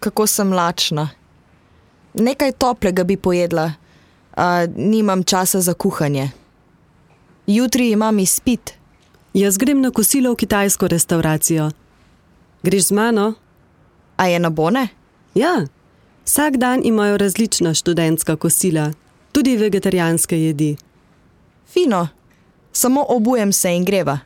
Kako sem lačna. Nekaj toplega bi pojedla, a nimam časa za kuhanje. Jutri imam izpit. Jaz grem na kosilo v kitajsko restauracijo. Greš z mano? A je na bone? Ja, vsak dan imajo različna študentska kosila, tudi vegetarijanske jedi. Fino, samo obujem se in greva.